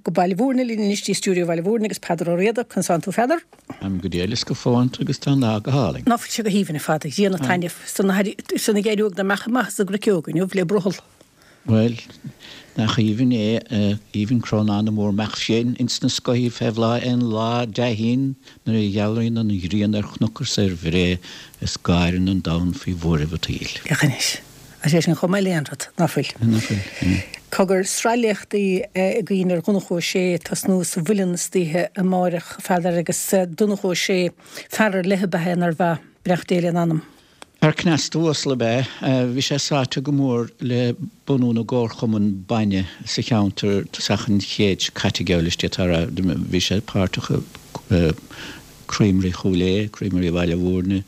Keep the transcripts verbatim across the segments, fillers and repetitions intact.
go Baile Mhúirne linn anois dtí stiúideo Bhaile Mhúirne agus Peadar Ó Riada, conas tánn tú a Pheadair? Táim go diail is go fónta agus tá an lá go hálainn. Ná fuil sé go haoibhinn ar fad, ag déanamh taitnimh san san ag éirí na mbeacha amach as an gcruiceog inniu le brothall. Bhuel, nach aoibhinn é, aoibhinn crónán na múr-mbeach fiáin ins na scothaí fé bhláth aon lá dea-shín nuair a ghealaíonn an ghrian ar chnoc is ar bhré is gáireann an domhan faoi bhuaireamh an tsaoil. Féach anois. Tá sé sin chomh maith le aon rud, ná fuil? Ná fuil, yeah. Cogar, sraith léachtaí againn ar Dhonnchadh Ó Sé ag tosnú sa Mhuileann istoíche amáireach, a Pheadair, agus Donnchadh Ó Sé, fear ar leith ab ea é, nárbh ea? Beannacht Dé lena anam. Fear cneasta uasal ab ea é. Bhí sé sáite go mór le bunú na gcomharchumann bainne sa cheantar tosach an chéid seo caite, geall leis, d'fhéadfá a rá. Bhí sé páirteach i Creamery Chúil Aodha, Creamery Bhaile Mhúirne,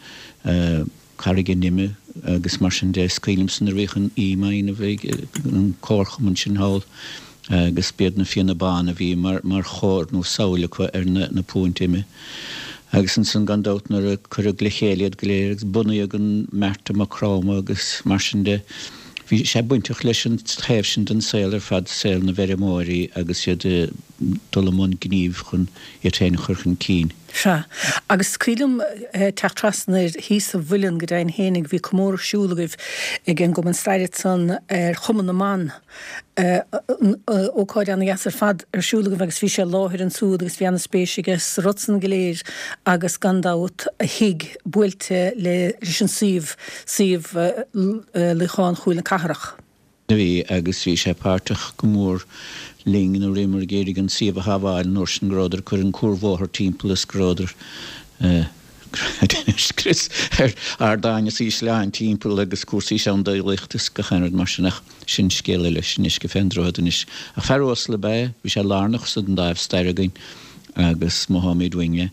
Carraig an Ime agus mar sin de. Is cuimhin liomsa nuair a bhíodh an ím á dhéanamh ag an comharchumann sin thall agus b'iad na Fianna Bána a bhí mar chóir nó samhail acu ar na púint ime. Agus ansan gan dabht nuair a cuireadh le chéile iad go léir agus bunaíodh an Mart i Maigh Chromtha agus mar sin de, bhí sé bainteach leis an taobh sin den saol ar fad, saol na bhfeirmeoirí agus iad ag dul i mbun gnímh chun iad féin a chur chun cinn. Sea. Agus is cuimhin liom teacht trasna air thíos sa Mhuileann go deimhin fhéinig, bhí comóradh ar siúl agaibh ag an gCumann Staire ansan ar Chumann na mBan. Ócáid ana-dheas ar fad ar siúl agaibh agus bhí sé i láthair ansúd agus bhí ana-spéis aige sa rud san go léir agus gan dabht a thigh buailte leis an suíomh, suíomh Luíochán Chúil na Cathrach. Bhí agus bhí sé páirteach go mór linn nuair a bhíomar ag iarraidh an suíomh a shábháil an uair sin go rabhadar ag cur an cuarbhóthar timpeall is go rabhadar ag scrios ar ardáin is ísleáin timpeall agus cúrsaí seandálaíochta is gach aon rud mar sin ach sin scéal eile, sin uisce fén droichead anois. Ach fear uasal ab ea é, bhí sé lárnach sa dáimh staire againn agus motháimid uainn é.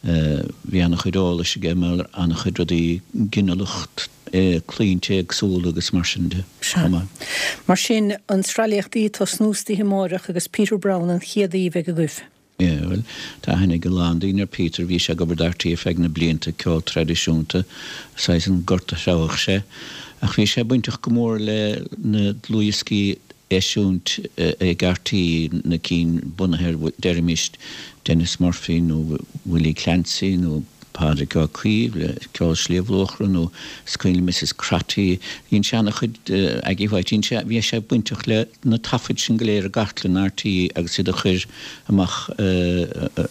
Bhí an-chuid eolais aige mar an-chuid rudaí ginealach, claimhte éagsúla agus mar sin de chomh maith. Mar sin, an sraith léachtaí ag tosnú istoíche amáireach agus Peter Browne an chéad aoi a bheidh agaibh. Yeah, bhuel, tá aithne ag a lán daoine ar Peter, bhí sé ag obair do RTÉ ar feadh na blianta, ceol traidisiúnta, saghas an gort a threabhadh sé. Ach bhí sé bainteach go mór le na dlúthdhioscaí a eisiúint ag RTÉ, na cinn bunaithe ar, deirimis, Denis Murphy nó Willie Clancy nó Pádraig Ó Caoimh le Ceol Shliabh Luachra nó is cuimhin liom Mrs Crotty, dhein sé ana-chuid, Aggie White, dhein sé, bhí sé bainteach le na taifid sin go léir i gcartlann RTÉ agus iad a chur amach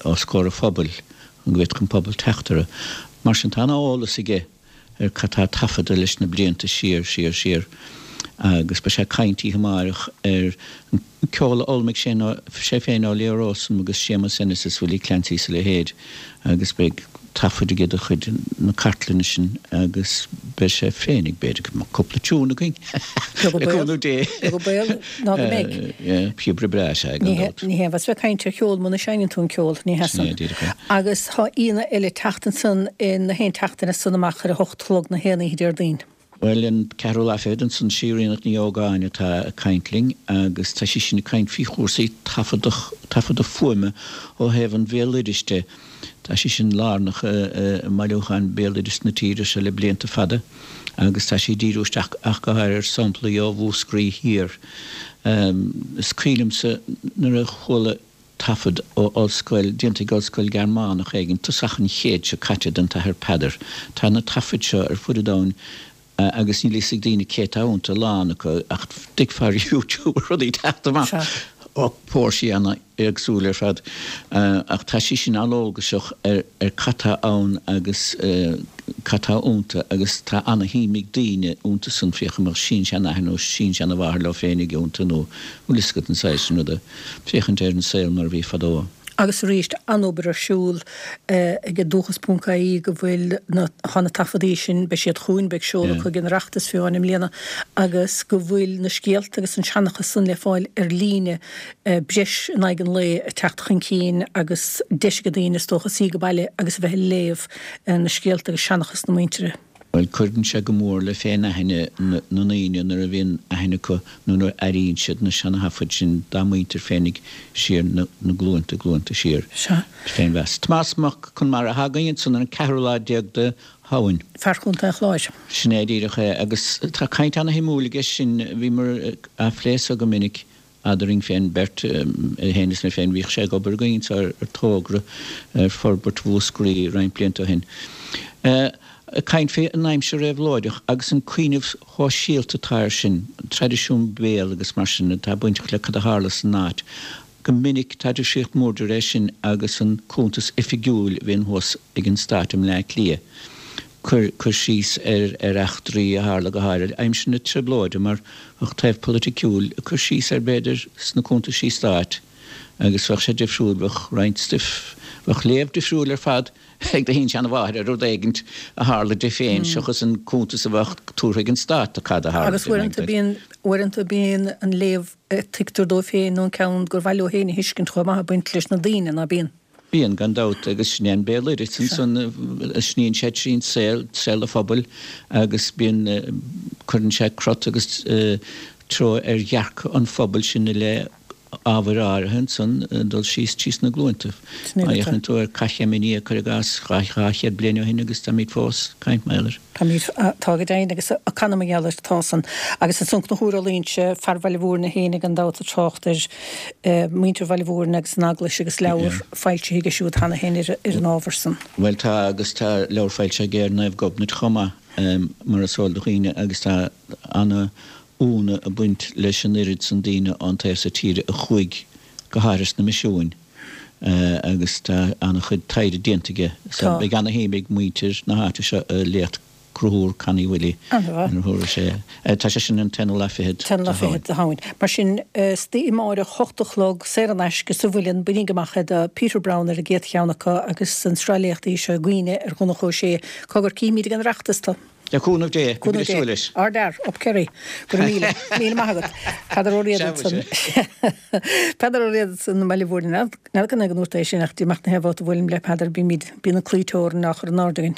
os comhair an phobail chun go bhféadfadh an pobal teacht orthu. Mar sin tá ana-eolas aige ar cad tá taifeadta leis na blianta siar, siar, siar agus beidh sé ag caint oíche amáireach ar an ceol a d'fhoghlaimigh sé sé féin ó Leo Rowsome agus Séamus Ennis is Willie Clancy is a leithéid agus beidh taifid aige de chuid na cartlainne sin agus beidh sé féin ag b'fhéidir go mbeadh cúpla tiún againn le cúnamh Dé. Beag an baol ná go mbeidh. Píobaire breá is ea é gan dabht. Ní hé an bhfas bheith ag caint ar cheol muna seinneann tú an ceol, ní hea san. Sin é díreach é. Agus tá aíonna eile ag teacht ansan in na haon tseachtain as san amach ar a hocht a chlog na haon oíche Déardaoin. Bhuel, an ceathrú lá fichead ansan, sí Ríonach Ní Ógáin atá ag caint linn agus tá sí sin ag caint faoi chúrsaí taifeadadh, taifeadadh fuaime ó thaobh an bhéaloidis de. Tá sí sin lárnach i mbailiúcháin béaloidis na tíre seo le blianta fada agus tá sí ag díriú isteach ach go háirithe ar samplaí ó Mhúscraí Thiar. Is cuimhin liomsa nuair a chuala taifead ó ollscoil, déanta ag ollscoil Gearmánach éigin, tosach an chéid seo caite den tAthair Peadar. Tá na taifid seo ar fud an domhain agus níl a fhios ag daoine cé atá iontu, a lán acu, ach d'fheicfeá ar YouTube rudaí ag teacht amach ó fhoinsí an-éagsúil ar fad. Ach tá sí sin an-eolgaiseach ar cad tá ann agus cad tá iontu agus tá ana-shuim ag daoine iontu san, féach an mbeadh sin-seanathair nó sin-seanamháthair leo féinig iontu nó bhfuil fhios agat an saghas sin ruda. féachaint ar an saol mar a bhí fadó. Agus arís, an-obair ar siúl ag Dúchas ponc IE go bhfuil na, tá na taifeadaí sin, beidh siad chugainn, beidh seoladh acu ag an Oireachtas fiú amháin i mbliana, agus go bhfuil na scéalta agus an seanchas san le fáil ar líne, breis in aghaidh an lae ag teacht chun cinn agus deis ag daoine is dócha suí go baile agus a bheith ag léamh na scéalta agus seanchas na muintire. Bhuel, cuireann sé go mór le féin-aithne na ndaoine nuair a bhíonn aithne acu nó nuair a airíonn siad na seana-thaifid sin dá muintir féinig siar na glúnta, glúnta siar. Sea. Féinmheas. Tomás Mac Conmara atá againn ansan ar an ceathrú lá déag de Shamhain. Fear Chontae an Chláir. Sin é díreach é. Agus tá caint ana-shuimiúil aige sin, bhíomar á phlé so go minic. eadrainn féin beirt, é féin is mé féin, bhíodh sé ag obair againn ar togra ar forbairt Mhúscraí roinnt blianta ó shin. Ag caint fé an aimsir réabhlóideach agus an cuimhneamh shóisialta atá air sin, an traidisiún béil agus mar sin atá bainteach le cad a tharla san áit. Go minic tá difríocht mhór idir é sin agus an cuntas oifigiúil a bhíonn thuas ag an Stát i mBleá Cliath. Cur cur síos ar ar eachtraí a tharla go háirid aimsir na Trioblóide mar bheadh taobh polaiticiúil ag cur síos air b'fhéidir sna cuntaisí stáit agus bheadh sé difriúil, bheadh roinnt stuif, bheadh léamh difriúil ar fad ag do shin-seanmháthair ar rud éigint a tharla di féin seachas an cuntas a bheadh tabhartha ag an stát de cad a tharla Agus di. uaireanta bíonn uaireanta bíonn an léamh a tuigtear dóibh féin nó an ceann gur mhaith leo féin a thuiscint chomh maith ag baint leis na daoine, ná bíonn? Bíonn, gan dabht, agus sin é an béaloideas ansan a shníonn sé trín saol, saol an phobail agus bíonn, cuireann sé crot agus treo ar dhearcadh an phobail sin i leith ábhair áirithe ansan ag dul síos trí sna glúnta. Sin Má é atá. fhéachann tú ar Cath Chéim an Fhia, cuir i gcás, dhá dhá chéad bliain ó shin agus táimid fós ag caint mar gheall air. Táimid, tá go deimhin agus ag canadh mar gheall air, tá san. Agus ansan Conchúr Ó Loingsigh, fear Bhaile Mhúirne féin gan dabht ag trácht ar muintir Bhaile Mhúirne agus an Eaglais agus leabhar foilsithe aige siúd cheana féin ar an ábhar san. Bhuel tá agus tá leabhar foilsithe aige ar Naomh Gobnait chomh maith, mar is eol do dhaoine agus tá ana ionadh ag baint leis an oiread san daoine ón taobh so tíre a chuaigh go háirithe sna misiúin agus tá an-chuid taighde déanta aige so beidh ana-shuim ag muintir na háite seo i léacht Conchúr Connie Willie An-mhaith. nuair a thabharfaidh sé, tá sé sin an t-aonú lá fichead T-aonú de lá Shamhain. fichead de Shamhain. Mar sin, istoíche amáireach, hocht a chlog, saor in aisce, sa Mhuileann, bainigí amach é do Peter Browne ar an gcéad cheann acu agus an sraith léachtaí seo i gcuimhne ar Dhonncha Ó Sé. Cogar, cífimid ag an Oireachtas tú. Le cúnamh Dé, Cúnamh bímid ag Dé. súil leis. Ardfhear, up Kerry. Go raibh míle, míle maith agat. Peadar Ó Riada Sea, ansan. mhuise. Peadar Ó Riada ansan i mBaile Mhúirne. N'fheadar cén fáth go ndúirt é sin ach d'imeacht na haon bhabhta a bhuailim le Peadar bímid, bíonn an claí teorann á chur in airde againn.